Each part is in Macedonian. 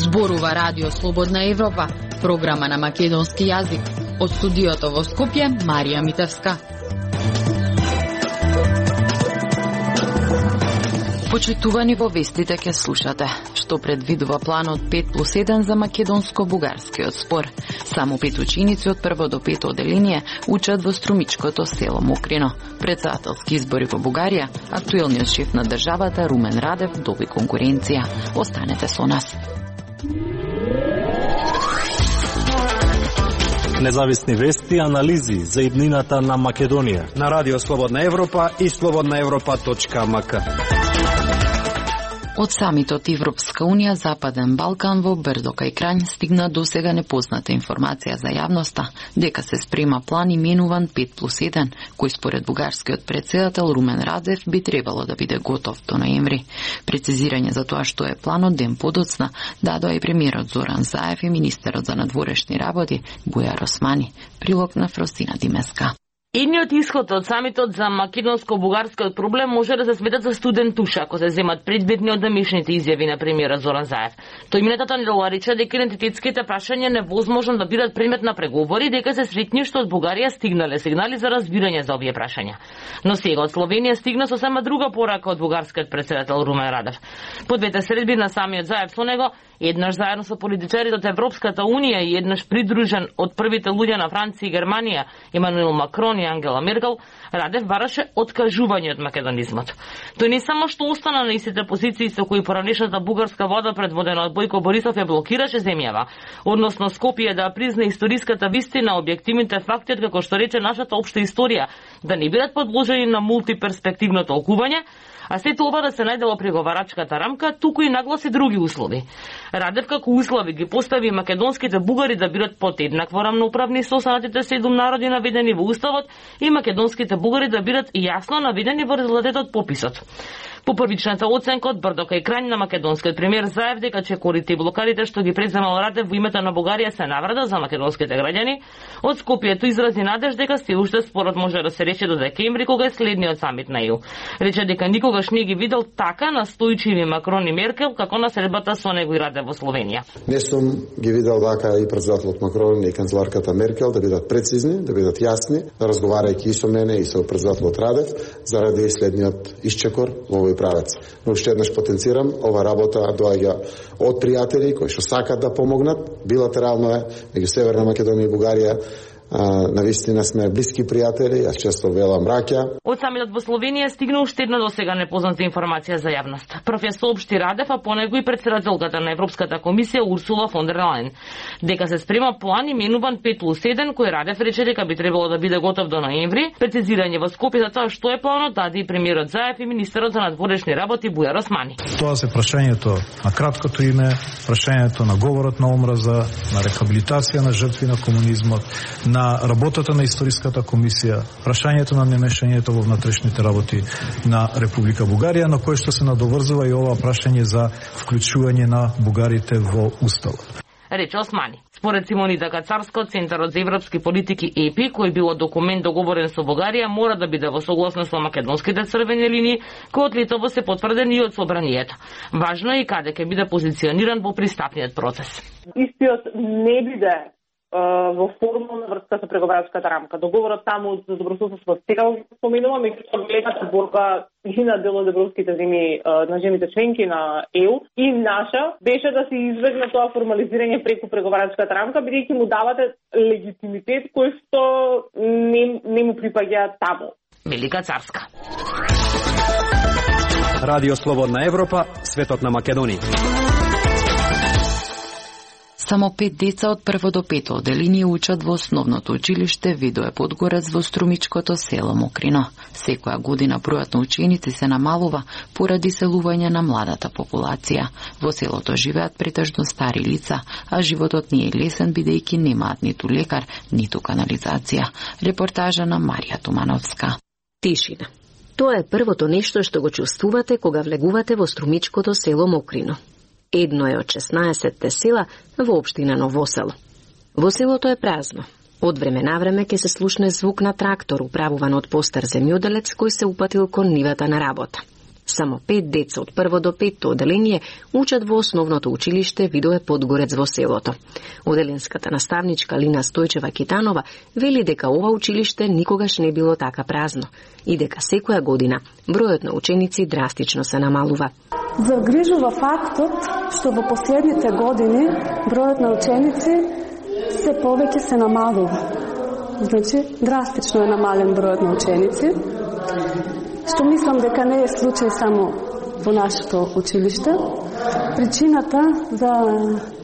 Зборува Радио Слободна Европа, програма на македонски јазик. Од студиото во Скопје, Марија Митевска. Почитувани во вестите ќе слушате што предвидува планот 5+1 за македонско-бугарскиот спор. Само 5 ученици од прво до пето оделение учат во струмичкото село Мокрино. Председателски избори во Бугарија, актуелниот шеф на државата Румен Радев доби конкуренција. Останете со нас. Независни вести и анализи за иднината на Македонија на Радио Слободна Европа и slobodnaevropa.mk. Од самитот Европска Унија Западен Балкан во Брдо кај Крањ стигна досега непозната информација за јавноста дека се спрема план именуван 5+1, кој според бугарскиот председател Румен Радев би требало да биде готов до ноември. Прецизирање за тоа што е планот ден подоцна дадоа и премиерот Зоран Заев и министерот за надворешни работи Бујар Османи. Прилог на Фростина Димеска. Едниот исход од самитот за македонско-бугарскиот проблем може да се сметат за студен туш ако се земат предметни од демешните изјави на премиерот Зоран Заев. Тој минатата недела рече дека идентитетските прашања невозможно да бидат предмет на преговори, дека се сретни што од Бугарија стигнале сигнали за разбирање за овие прашања. Но сега од Словенија стигна сосема друга порака од бугарскиот председател Румен Радев. По двете средби на самиот Заев со него, еднаш заедно со политичарите од Европската Унија и еднаш придружен од првите луѓе на Франција и Германија, Емануел Макрон и Ангела Меркел, Радев бараше откажување од македонизмот. Тој не само што остана на истите позиции со кои поранешната бугарска влада предводена од Бојко Борисов ја блокираше земјава, односно Скопје да призна историската вистина, објективните факти, како што рече нашата општа историја, да не бидат подложени на мултиперспективно толкување, а сето ова да се најде во преговарачката рамка, туку и нагласи други услови. Радев како услови ги постави македонските бугари да бидат под еднакво рамноуправни со останатите 7 народи наведени во уставот и македонските бугари да бидат јасно наведени во резултатот од пописот. По првичната оценка од Брдо кај Крањ на македонскиот премиер Заев дека чекорите и блокадите што ги преземал Радев во името на Бугарија се наврада за македонските граѓани, од Скопјето изрази надеж дека се уште спорот може да се рече до декември кога е следниот самит на ЕУ. Рече дека никогаш не ги видел така настојчиви Макрон и Меркел како на средбата со него и Радев во Словенија. Не сум ги видел дека и председателот Макрон и канцеларката Меркел да бидат прецизни, да бидат јасни, разговарајќи и со мене и со председателот Радев заради следниот исчекор во овој правец. Но уште еднаш потенцирам, ова работа доаѓа од пријатели кои што сакат да помогнат, билатерално е меѓу Северна Македонија и Бугарија. Навистина сме блиски пријатели, јас често велам раќа. Од самитот во Словенија стигна уште една досега непозната информација за јавност. Прв ја соопшти Радев, а по него и председателката на Европската комисија Урсула фон дер Лајен, дека се спрема план именуван 5+1, кој Радев рече дека би требало да биде готов до ноември. Прецизирање во Скопје за тоа што е планот даде и премиерот Заев и министерот за надворешни работи Бујар Османи. Тоа се прашањето на краткото име, прашањето на говорот на омраза, на рехабилитација на жртви на комунизмот, на работата на историската комисија, прашањето на немешањето во внатрешните работи на Република Бугарија, на кое што се надоврзува и ова прашање за вклучување на бугарите во уставот. Рече Османи. Според Симонита Кацарска од Центарот за европски политики ЕПИ, кој било документ договорен со Бугарија, мора да биде во согласност со македонските црвени линии, кои од Литва се потврдени и од собранието. Важно е и каде ќе биде позициониран во пристапниот процес. Истиот не биде во формална врска со преговарачката рамка. Договорот таму за добрососедство сега споменува, меѓутоа големата борба и на дел од европските земји на земјите членки на ЕУ и наша беше да се избегне тоа формализирање преку преговарачката рамка, бидејќи му давате легитимитет кој што не му припаѓа таму. Велика Царска. Радио Слободна Европа, светот на Македонија. Само 5 деца од прво до пето оделение учат во основното училиште Видое Подгорец во струмичкото село Мокрино. Секоја година бројот на ученици се намалува поради селување на младата популација. Во селото живеат претежно стари лица, а животот не е лесен бидејќи немаат ниту лекар, ниту канализација. Репортажа на Марија Тумановска. Тишина. Тоа е првото нешто што го чувствувате кога влегувате во струмичкото село Мокрино. Едно е од 16 села во општина Ново село. Во селото е празно. Од време на време ќе се слушне звук на трактор управуван од постар земјоделец кој се упатил кон нивата на работа. Само 5 деца од прво до 5-то оделение учат во основното училиште Видое Подгорец во селото. Оделенската наставничка Лина Стојчева-Китанова вели дека ова училиште никогаш не било така празно и дека секоја година бројот на ученици драстично се намалува. Загрижува фактот што во последните години бројот на ученици се повеќе се намалува. Значи, драстично е намален бројот на ученици, што мислам дека не е случај само во нашето училиште. Причината за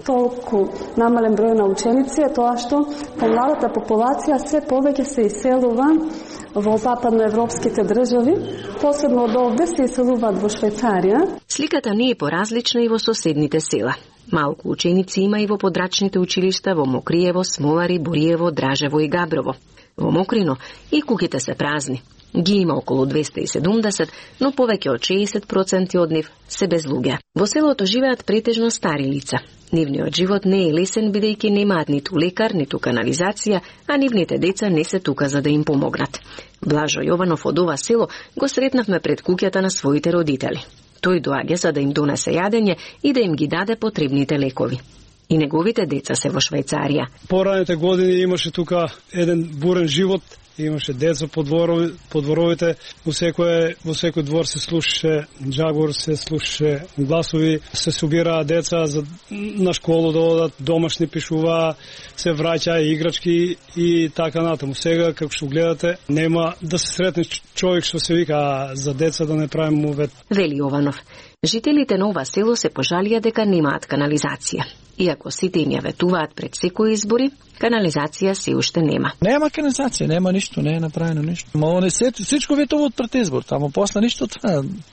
толку намален број на ученици е тоа што помладата популација се повеќе се иселува во западноевропските држави, посебно од овде се иселуваат во Швајцарија. Сликата не е поразлична и во соседните села. Малку ученици има и во подрачните училишта во Мокриево, Смолари, Бориево, Дражево и Габрово. Во Мокрино и куќите се празни. Ги има околу 270, но повеќе од 60% од нив се без луѓе. Во селото живеат претежно стари лица. Нивниот живот не е лесен, бидејќи немаат ниту лекар, ниту канализација, а нивните деца не се тука за да им помогнат. Блажо Јованов од ова село го сретнавме пред куќата на своите родители. Тој доаѓа за да им донесе јадење и да им ги даде потребните лекови. И неговите деца се во Швајцарија. Пораните години имаше тука еден бурен живот, имаше деца по дворовите, во секој двор се слушаше джагор, се слушаше гласови, се собираа деца на школу да одат, домашни пишуваа, се враќаа играчки и така натаму. Сега, како што гледате, нема да се сретне човек што се вика за деца да не правим мувет. Вели Јованов. Жителите на ова село се пожалија дека немаат канализација. Иако сите им ја ветуваат пред секои избори, канализација се уште нема. Нема канализација, нема ништо, не е направено ништо. Ма не се всичко ветуваат пред избор, тамо после ништо.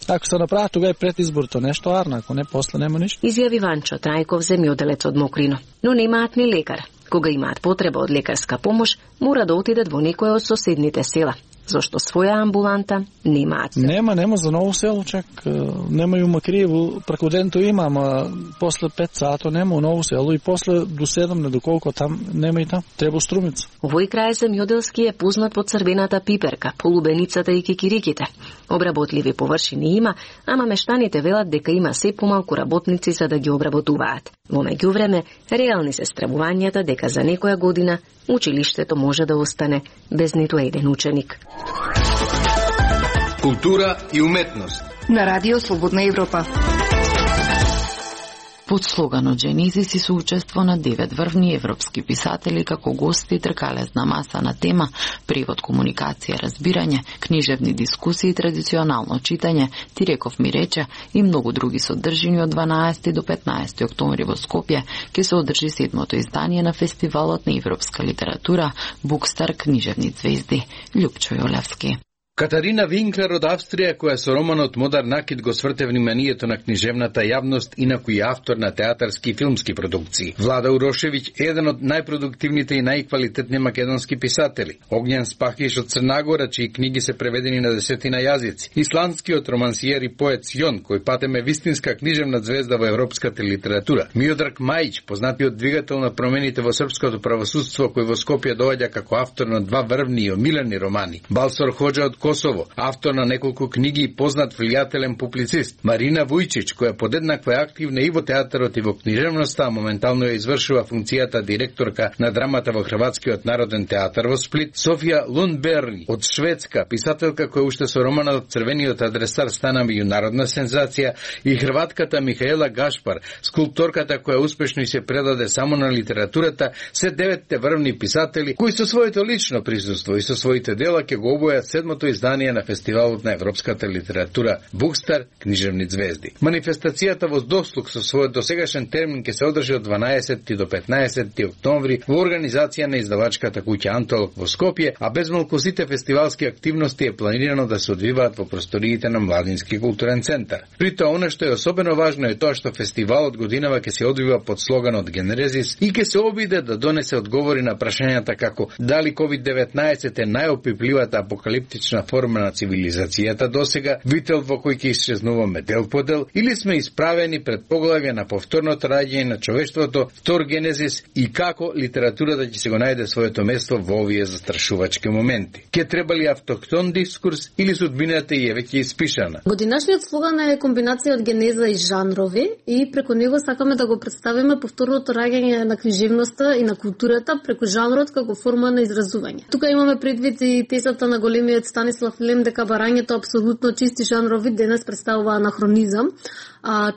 Ако се направи тогава пред изборто нешто арна, ако не после нема ништо. Изјави Ванчо Трајков, земјоделец од Мокрино. Но немаат ни лекар. Кога имаат потреба од лекарска помош, мора да отидат во некоја од соседните села. Зошто своја амбуланта немаат. Нема за Ново село, чак нема и у Макриево, преку денто има, ама после 5 сато нема у Ново село и после до 7 не доколку там нема и там. Треба Струмица. Овој крај земјоделски е познат по црвената пиперка, полубеницата и кикириките. Обработливи површини има, ама мештаните велат дека има се помалку работници за да ги обработуваат. Во меѓувреме, реални се стравувањата дека за некоја година училиштето може да остане без ниту еден ученик. Култура и уметност на Радио Слободна Европа. Под слоганот Genesis и соучество на 9 врвни европски писатели како гости тркалезна маса на тема превод, комуникација, разбирање, книжевни дискусии, традиционално читање, Ти реков ми рече и многу други содржини од 12 до 15 октомври во Скопје ќе се одржи 7-то издание на фестивалот на европска литература Букстар книжевни звезди. Љупчо Јолевски. Катарина Винклер од Австрија, која со романот Модар накид го сврте вниманието на книжевната јавност и на кој е автор на театарски и филмски продукции. Влада Урошевиќ е еден од најпродуктивните и најквалитетни македонски писатели. Огњен Спахиш од Црнагора, чии книги се преведени на 10 јазици. Исландскиот романсиер и поет Сјон, кој патем е вистинска книжевна звезда во европската литература. Миодраг Мајич, познатиот двигател на промените во српското правосудство, кој во Скопје доаѓа како автор на 2 врвни и омилени романи. Балсор Хоџа од Косово, автор на неколку книги и познат влијателен публицист. Марина Вујчич, која подеднаква е активна и во театарот и во книжевноста, моментално ја извршува функцијата директорка на драмата во Хрватскиот народен театар во Сплит. Софија Лундберни од Шведска, писателка која уште со романот Црвениот адресар стана меѓународна сензација, и хрватката Михаела Гашпар, скулпторката која успешно и се предаде само на литературата, се 9 врвни писатели кои со своето лично присуство и со своите дела ќе го обојат 7-то издание на фестивалот на европската литература Букстар книжевни звезди. Манифестацијата во дослуг со својот досегашен термин ќе се одржи од 12 до 15 октомври во организација на издавачката куќа Антолог во Скопје, а безмалку сите фестивалски активности е планирано да се одвиваат во просториите на Младински културен центар. При тоа, она што е особено важно е тоа што фестивалот годинава ќе се одвива под слоганот Генерезис и ќе се обиде да донесе одговори на прашањата како дали COVID-19 е најопипливата апокалиптична форма на цивилизацијата досега, вител во кој ќе исчезнуваме дел по дел, или сме исправени пред поглавје на повторното раѓање на човештвото, втор генезис и како литературата ќе се го најде своето место во овие застрашувачки моменти. Ке треба ли автохтон дискурс или судбината е веќе испишана? Годинашниот слоган е комбинација од генеза и жанрови и преку него сакаме да го представиме повторното раѓање на книжевноста и на културата преку жанрот како форма на изразување. Тука имаме предвид и тезата на големиот Станислав Лем дека барањето апсолутно чисти жанрови денес представува анахронизам.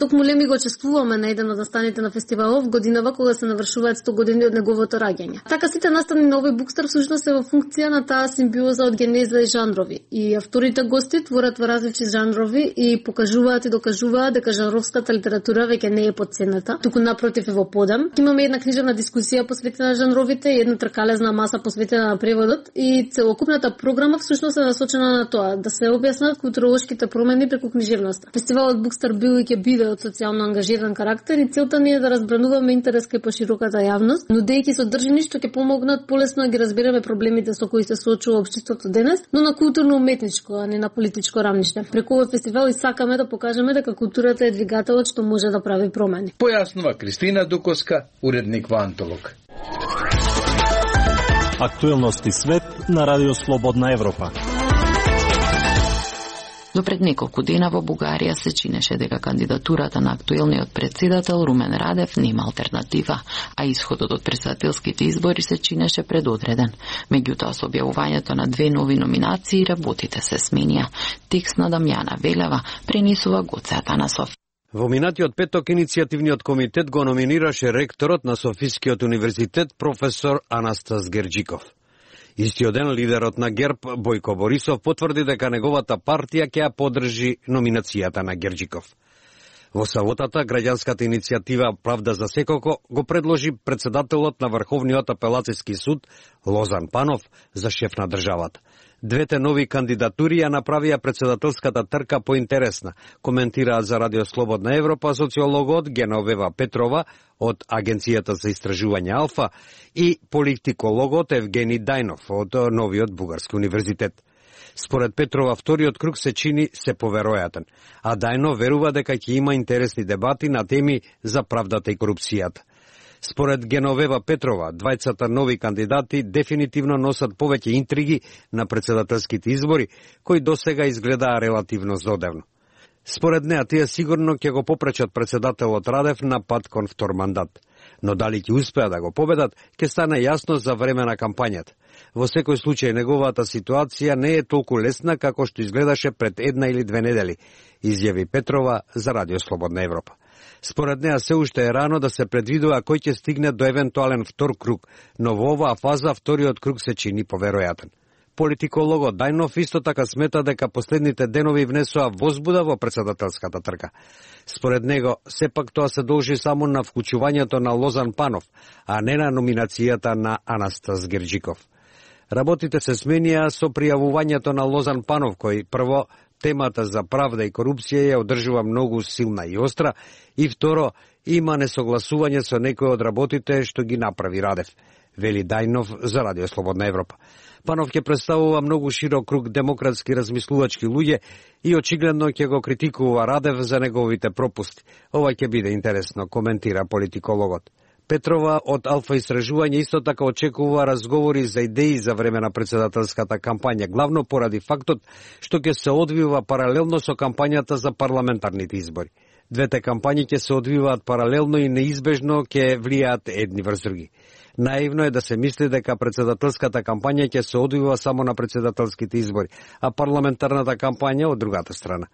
Токму Леми го чествуваме на еден од настаните на фестивалов годинава кога се навршуваат 100 години од неговото раѓање. Така сите настани на овој букстар всушност се во функција на таа симбиоза од генеза и жанрови. И авторите гости творат во различни жанрови и покажуваат и докажуваат дека жанровската литература веќе не е потценета, туку напротив е во подем. Имаме една книжевна дискусија посветена на жанровите и една тркалезна маса посветена на преводот и целокупната програма всушност е насочена на тоа да се објаснат културолошките промени преку книжевноста. Фестивалот Букстар бил и ќе биде од социјално ангажиран карактер и целта ни е да разбрануваме интерес кај пошироката јавност, нудејќи содржини што ќе помогнат полесно да ги разбереме проблемите со кои се соочува општеството денес, но на културно-уметничко, а не на политичко рамниште. Преку овој фестивал и сакаме да покажеме дека културата е двигателот што може да прави промени. Појаснува Кристина Дуковска, уредник во Антолог. Актуелности свет на Радио Слободна Европа. До пред неколку дена во Бугарија се чинеше дека кандидатурата на актуелниот председател Румен Радев нема алтернатива, а исходот од председателските избори се чинеше предодреден. Меѓутоа, со објавувањето на 2 нови номинации, работите се сменија. Текст на Дамјана Велева пренесува Гоце Атанасов. Во минатиот петок иницијативниот комитет го номинираше ректорот на Софискиот универзитет професор Анастас Герџиков. Истиот ден лидерот на ГЕРБ Бојко Борисов потврди дека неговата партија ќе ја поддржи номинацијата на Герџиков. Во саботата граѓанската иницијатива Правда за секоко го предложи председателот на Врховниот апелацијски суд Лозан Панов за шеф на државата. Двете нови кандидатури ја направија председателската трка поинтересна, коментираат за Радио Слободна Европа социологот Геновева Петрова од Агенцијата за истражување Алфа и политикологот Евгени Дајнов од Новиот Бугарски универзитет. Според Петрова, вториот круг се чини се поверојатен, а Дајнов верува дека ќе има интересни дебати на теми за правдата и корупцијата. Според Геновева Петрова, двајцата нови кандидати дефинитивно носат повеќе интриги на председателските избори, кои досега изгледаа релативно зодевно. Според неа, тие сигурно ќе го попречат председателот Радев на пат кон втор мандат. Но дали ќе успеа да го победат, ќе стане јасно за време на кампањата. Во секој случај, неговата ситуација не е толку лесна како што изгледаше пред 1 или 2 недели, изјави Петрова за Радио Слободна Европа. Според неа се уште е рано да се предвидува кој ќе стигне до евентуален втор круг, но во оваа фаза вториот круг се чини поверојатен. Политикологот Дајнов исто така смета дека последните денови внесоа возбуда во председателската трка. Според него, сепак тоа се должи само на вклучувањето на Лозан Панов, а не на номинацијата на Анастас Герџиков. Работите се сменија со пријавувањето на Лозан Панов, кој прво темата за правда и корупција ја одржува многу силна и остра, и второ, има несогласување со некои од работите што ги направи Радев, вели Дајнов за Радио Слободна Европа. Панов ќе представува многу широк круг демократски размислувачки луѓе и очигледно ќе го критикува Радев за неговите пропусти. Ова ќе биде интересно, коментира политикологот. Петрова од Алфа истражување исто така очекува разговори за идеи за време на председателската кампања, главно поради фактот што ќе се одвива паралелно со кампањата за парламентарните избори. Двете кампањи ќе се одвиваат паралелно и неизбежно ќе влијаат едни врз други. Наивно е да се мисли дека председателската кампања ќе се одвива само на председателските избори, а парламентарната кампања од другата страна.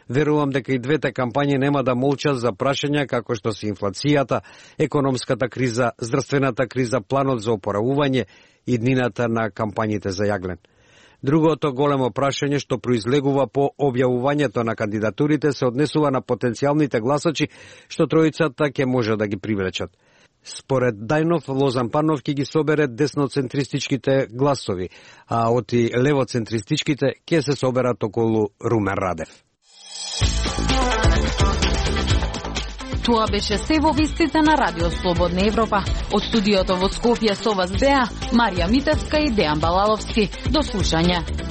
Верувам дека и двете кампањи нема да молчат за прашања како што се инфлацијата, економската криза, здравствената криза, планот за опоравување и днината на кампањите за јаглен. Другото големо прашање што произлегува по објавувањето на кандидатурите се однесува на потенцијалните гласачи што тројцата ќе може да ги привлечат. Според Дајнов, Лозан Панов ќе ги собере десноцентристичките гласови, а оти левоцентристичките ќе се соберат околу Румен Радев. Тоа беше се во вестите на Радио Слободна Европа. Од студиото во Скопје со вас беа Марија Митевска и Дејан Балаловски. До слушање.